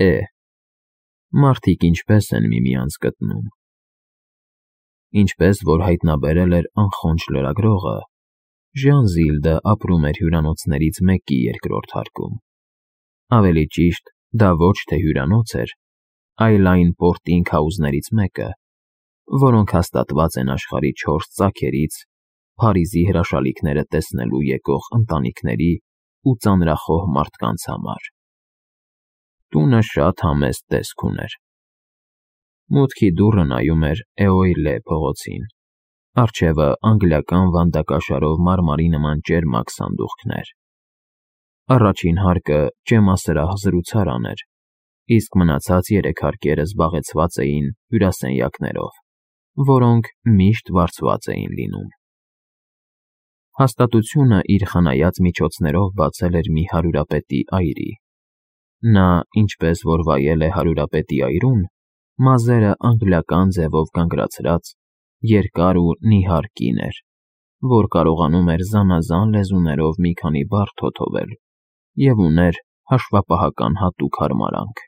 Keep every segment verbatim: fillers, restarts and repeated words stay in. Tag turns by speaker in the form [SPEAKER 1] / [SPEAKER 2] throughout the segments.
[SPEAKER 1] Է. Մարդիկ ինչպես են միմյանց գտնում։ Ինչպես որ հայտնաբերել էր անխոնջ լրագրողը, Ժան-Զիլդը ապրում էր հյուրանոցներից մեկի երկրորդ հարկում։ Ավելի ճիշտ, դա ոչ թե հյուրանոց էր, այլ այն պորտինգ-հաուսներից մեկը, որոնք հաստատված են աշխարհի չորս ծագերից Փարիզի հրաշալիքները տեսնելու եկող ընտանիքների ու ծանրախոհ մարդկանց համար։ Տունը շատ համեստ տեսք ուներ։ Մուտքի դուռը նայում էր Էոյլե փողոցին, առջևը անգլիական վանդակաշարով մարմարի նման ճերմակ սանդուղքներ։ Առաջին հարկը ճեմասրահ զրուցարան էր, իսկ մնացած երեք հարկերը զբաղեցված էին հյուրասենյակներով, որոնք միշտ վարձված էին լինում։ Հաստատությունը իր խնայած միջոցներով բացել էր մի հարյուրապետի այրի։ Նա, ինչպես որ վայել է հարյուրապետի այրում, մազերը անգլիական ձևով կանգնացրած, երկար ու նիհար կին էր, որ կարողանում էր զանազան լեզուներով մի քանի բառ թոթովել և ուներ հաշվապահական հատուկ հարմարանք։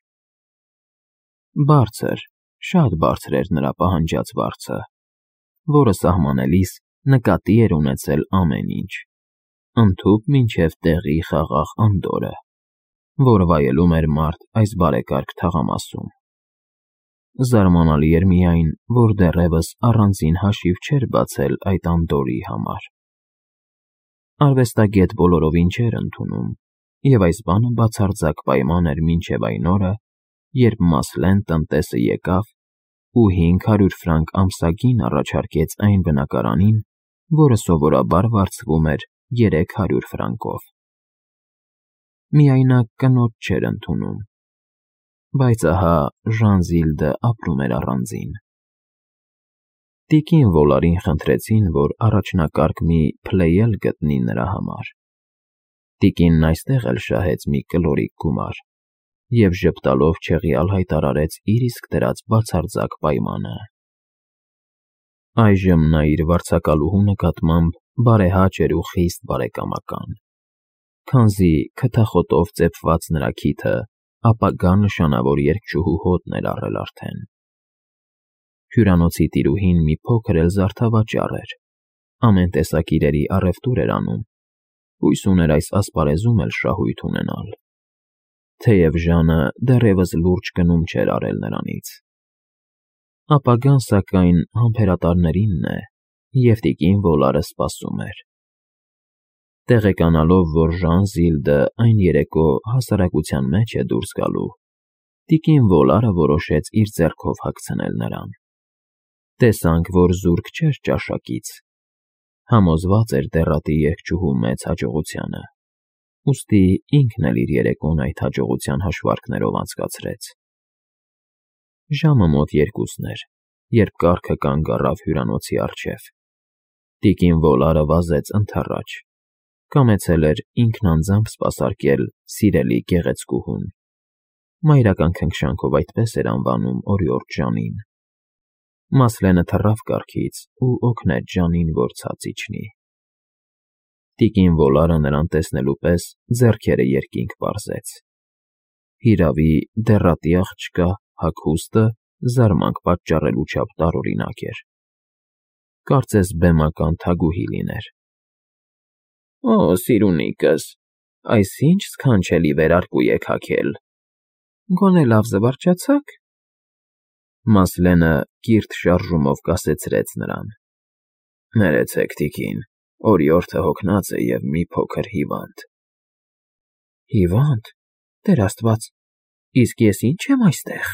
[SPEAKER 1] Բարձր, շատ բարձր էր նրա պահանջած վարձը, որը սահմանելիս նկատի էր ունեցել ամեն ինչ, ընդհուպ մինչև տեղի խաղաղ անդորրը, որ վայելում էր մարդ այս բարեկարգ թաղամասում։ Զարմանալի էր միայն, որ դեռևս առանձին հաշիվ չէր բացել այդ անդորրի համար։ Արվեստագետ բոլորովին չէր ընդունում, և այս բանը բացարձակ պայման էր մինչև այն օրը, երբ Մասլեն տնտեսը եկավ ու հինգ հարյուր ֆրանկ ամսագին առաջարկեց այն բնակարանին, որը սովորաբար վարձվում էր երեք հարյուր ֆրանկով։ Միայնակ կնոջ չէր ընդունում, բայց ահա Ժան-Զիլդը ապրում էր առանձին։ Տիկին Վոլարին խնդրեցին, որ առաջնակարգ մի փլեյել գտնի նրա համար։ Տիկինն այստեղ էլ շահեց մի կլորիկ գումար և ժպտալով չեղյալ հայտարարեց իր իսկ դրած բացարձակ պայմանը։ Այժմ նա իր վարձակալուհու նկատմամբ բարեհաճ էր ու խիստ բարեկամական, քանզի քթախոտով ծեփված նրա քիթը ապագա նշանավոր երգչուհու հոտն էր առել արդեն։ Հյուրանոցի տիրուհին մի փոքր էլ զարդավաճառ էր, ամեն տեսակ իրերի առևտուր էր անում, հույս ուներ այս ասպարեզում էլ շահույթ ունենալ, թեև Ժանը դեռևս լուրջ գնում չէր արել նրանից։ Ապագան, սակայն, համբերատարներինն է, և տիկին Վոլարը սպասում էր։ Տեղեկանալով, որ Ժան-Զիլդը այն երեկո հասարակության մեջ է դուրս գալու, տիկին Վոլարը որոշեց իր ձեռքով հագցնել նրան։ Տեսանք, որ զուրկ չէր ճաշակից, համոզված էր դեռատի երգչուհու մեծ հաջողությանը, ուստի ինքն էլ իր երեկոն այդ հաջողության հաշվարկներով անցկացրեց։ Ժամը մոտ երկուսն էր, երբ կառքը կանգ առավ հյուրանոցի առջև։ Տիկին Վոլարը վազեց ընդառաջ, կամեցել էր ինքն անձամբ սպասարկել սիրելի գեղեցկուհուն, մայրական քնքշանքով այդպես էր անվանում օրիորդ Ժանին։ Մասլենը թռավ կառքից ու օգնեց Ժանին, որ ցած իջնի։ Տիկին Վոլարը նրան տեսնելու պես ձեռքերը երկինք պարզեց։ Հիրավի, դեռատի աղջկա հագուստը զարմանք պատճառելու չափ տարօրինակ էր։ Կարծես բեմական թագուհի լիներ։ Օ, սիրունիկս, այս ի՞նչ սքանչելի վերարկու եք հագել։ Գոնե լավ զվարճացա՞ք։ Մասլենը կիրթ շարժումով կասեցրեց նրան։ Ներեցեք, տիկին, օրիորդը հոգնած է և մի փոքր հիվանդ։ Հիվա՞նդ, Տեր Աստված, իսկ ես ի՞նչ եմ այստեղ։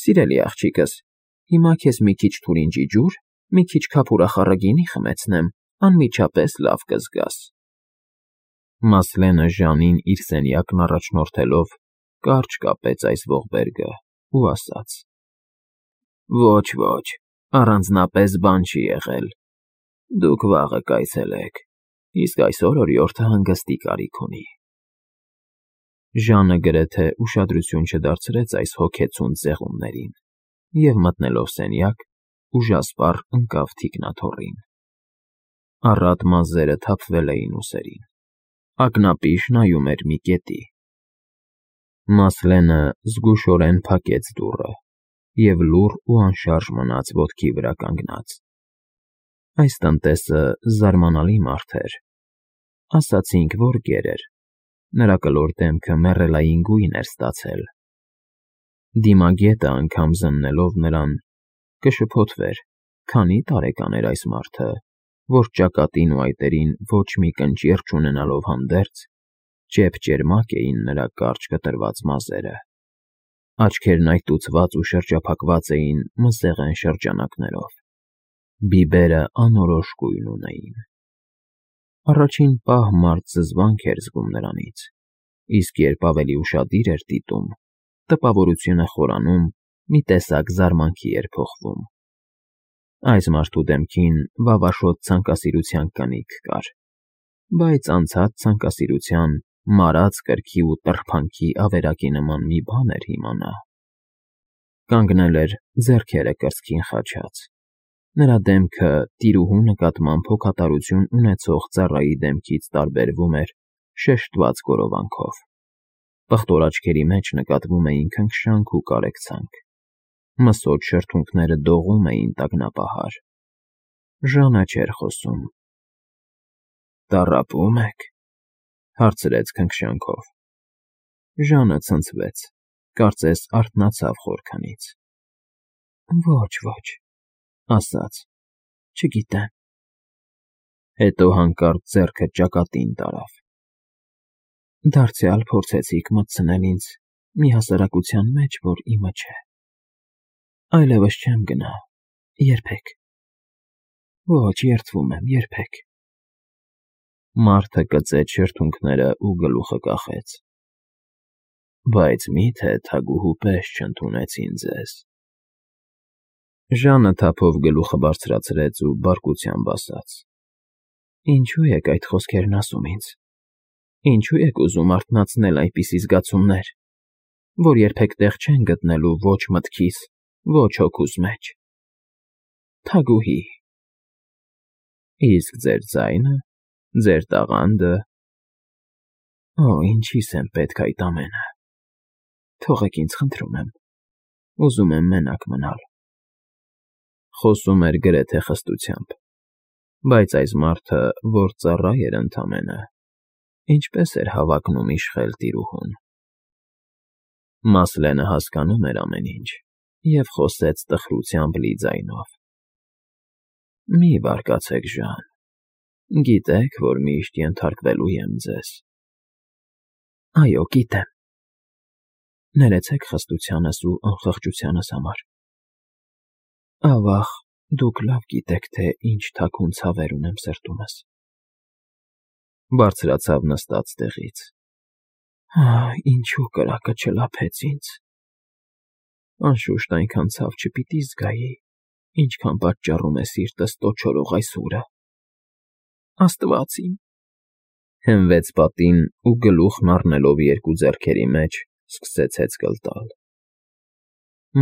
[SPEAKER 1] Սիրելի աղջիկս, հիմա քեզ մի քիչ թուրինջի ջուր, մի քիչ քափուրախառը գինի խմեցնեմ, անմիջապես լավ կզգաս։ Մասլենը Ժանին իր սենյակն առաջնորդելով կարճ կապեց այս ողբերգը ու ասաց. Ոչ, ոչ, առանձնապես բան չի եղել։ Դուք վաղը կայցելեք, իսկ այսօր օրիորդը հանգստի կարիք ունի։ Ժանը գրեթե ուշադրություն չդարձրեց այս հոգեցունց զեղումներին և մտնելով սենյակ, ուժասպառ ընկավ թիկնաթոռին։ Առատ մազերը թափվել էին ուսերին։ Ակնապիշ նայում էր մի կետի։ Մասլենը զգուշորեն փակեց դուռը և լուռ ու անշարժ մնաց ոտքի վրա կանգնած։ Այս տնտեսը զարմանալի մարդ էր, ասացինք, որ գեր էր, նրա կլոր դեմքը մեռելային գույն էր ստացել։ Դիմագետը անգամ զննելով նրան, կշփոթվեր, քանի տարեկան էր այս մարդը, որ ճակատին ու այտերին ոչ մի կնճիռ չունենալով հանդերձ, ճեպ-ճերմակ էին նրա կարճ կտրված մազերը, աչքերն այտուցված ու շրջափակված էին մսեղեն շրջանակներով, բիբերը անորոշ գույն ունեին։ Առաջին պահ մարդ զզվանք էր զգում նրանից, իսկ երբ ավելի ուշադիր էր դիտում, տպավորությունը խորանում, մի տեսակ զարմանքի էր փոխվում։ Այս մարդու դեմքին վավաշոտ ցանկասիրության կնիք կար, բայց անցած ցանկասիրության, մարած կրքի ու տրփանքի ավերակի նման մի բան էր հիմա նա։ Կանգնել էր ձեռքերը կրծքին խաչած։ Նրա դեմքը տիրուհու նկատմամբ հոգատարություն ունեցող ծառայի դեմքից տարբերվում էր շեշտված գորովանքով։ Պղտոր աչքերի մեջ նկատվում էին քնքշանք ու կարեկցանք։ Մսոտ շրթունքները դողում էին տագնապահար։ Ժանը չէր խոսում։ «Տառապո՞ւմ եք», հարցրեց քնքշանքով։ Ժանը ցնցվեց, կարծես արթնացավ խորքնից։ «Ոչ, ոչ», ասաց, «չգիտեմ»։ Հետո հանկարծ ձեռքը ճակատին տարավ։ «Դարձյալ փորձեցիք մտցնել ինձ մի հասարակության մեջ, որ իմը չէ։ Այլևս չեմ գնա, երբեք։ Ոչ, երդվում եմ, երբեք»։ Մարդը կծեց շրթունքները ու գլուխը կախեց։ «Բայց մի՞թե թագուհու պես չընդունեցին ձեզ»։ Ժանը թափով գլուխը բարձրացրեց ու բարկությամբ ասաց. «Ինչո՞ւ եք այդ խոսքերն ասում ինձ։ Ինչո՞ւ եք ուզում արթնացնել այնպիսի զգացումներ, որ երբեք տեղ չեն գտնելու ոչ մտքիս, ոչ հոգուս մեջ։ Թագուհի… Իսկ ձեր ձայնը, ձեր տաղանդը… Օ, ինչի՞ս եմ պետք այդ ամենը։ Թողեք ինձ, խնդրում եմ, ուզում եմ մենակ մնալ»։ Խոսում էր գրեթե խստությամբ, բայց այս մարդը, որ ծառա էր ընդամենը, ինչպես էր հավակնում իշխել տիրուհուն։ Մասլենը հասկանում էր ամեն ինչ և խոսեց տխրությամբ լի ձայնով. «Մի բարկացեք, Ժան, գիտեք, որ միշտ ենթարկվելու եմ ձեզ»։ «Այո, գիտեմ։ Ներեցեք խստությանս ու անխղճությանս համար։ Ավաղ, դուք լավ գիտեք, թե ինչ թաքուն ցավեր ունեմ սրտումս»։ Բարձրացավ նստած տեղից։ «Ահ, ինչու կրակը չլափեց ինձ։ Անշուշտ այնքան ցավ չպիտի զգայի, ինչքան պատճառում է սիրտս տոչորող այս ուրը։ Աստված իմ…» Հենվեց պատին ու գլուխն առնելով երկու ձեռքերի մեջ, սկսեց հեծկլ տալ։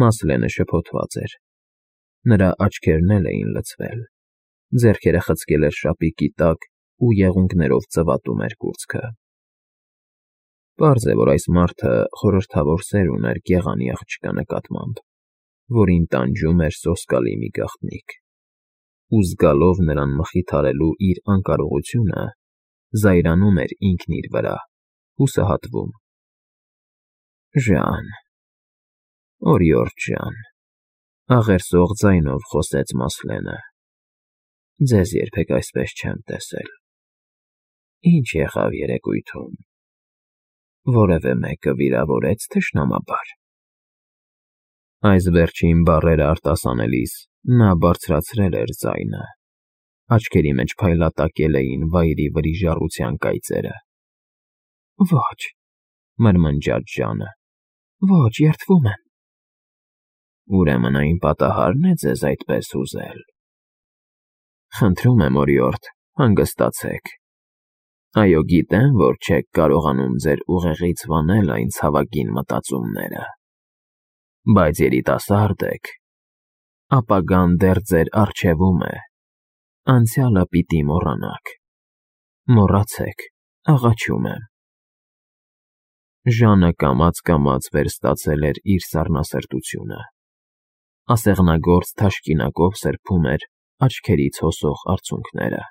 [SPEAKER 1] Մասլենը շփոթված էր։ Նրա աչքերն էլ էին լցվել, ձեռքերը խցկել էր շապիկի տակ ու եղունգներով ծվատում էր կուրծքը։ Պարզ է, որ այս մարդը խորհրդավոր սեր ուներ գեղանի աղջկա նկատմամբ, որին տանջում էր սոսկալի մի գաղտնիք, ու զգալով նրան մխիթարելու իր անկարողությունը, զայրանում էր ինքն իր վրա, հուսահատվում։ «Ժան… Օրիորդ Ժան…» աղերսող ձայնով խոսեց Մասլենը, «ձեզ երբեք այսպես չեմ տեսել։ Ինչ եղավ երեկույթում։ Որևէ մեկը վիրավորեց թշնամաբար»։ Այս վերջին բառերը արտասանելիս նա բարձրացրել էր ձայնը, աչքերի մեջ փայլատակել էին վայրի վրիժառության կայծերը։ «Ոչ», մրմնջաց Ժանը, «ոչ, երդվում եմ»։ «Ուրեմն այն պատահարն է ձեզ այդպես հուզել։ Խնդրում եմ, օրիորդ, հանգստացեք։ Այո, գիտեմ, որ չեք կարողանում ձեր ուղեղից վանել այն ցավագին մտածումները, բայց երիտասարդ եք, ապագան դեռ ձեր առջևում է, անցյալը պիտի մոռանաք։ Մոռացեք, աղաչում եմ»։ Ժանը կամաց-կամաց վերստացել էր իր սառնասրտությունը, ասեղնագործ թաշկինակով սրբում էր աչքերից հոսող արցունքները։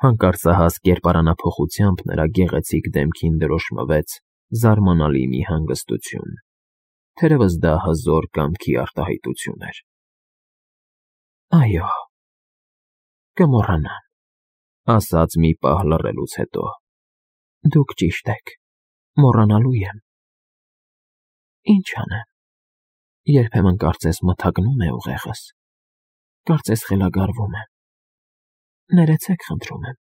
[SPEAKER 1] Հանկարծահաս կերպարանափոխությամբ նրա գեղեցիկ դեմքին դրոշմվեց զարմանալի մի հանգստություն, թերևս դա հզոր կամքի արտահայտություն էր։ «Այո, կմոռանամ,֊ ասաց մի պահ լռելուց հետո,֊ դուք ճիշտ եք, մոռանալու եմ։ Ինչ անեմ, երբեմն կարծես մթագնում է ուղեղս, կարծես խելագարվում եմ։ Ներեցեք, խնդրում եմ,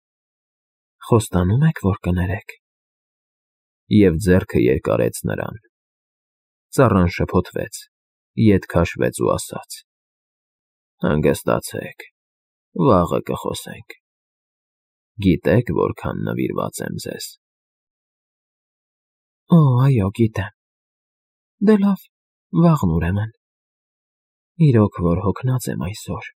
[SPEAKER 1] խոստանո՞ւմ եք, որ կներեք»։ Եվ ձեռքը երկարեց նրան։ Ծառան շփոթվեց, ետ քաշվեց ու ասաց. «Հանգստացեք, վաղը կխոսենք։ Գիտե՞ք որքան նվիրված եմ ձեզ»։ «Օ, այո, գիտեմ։ Դե լավ, վաղն ուրեմն։ Իրոք որ հոգնած եմ այսօր»։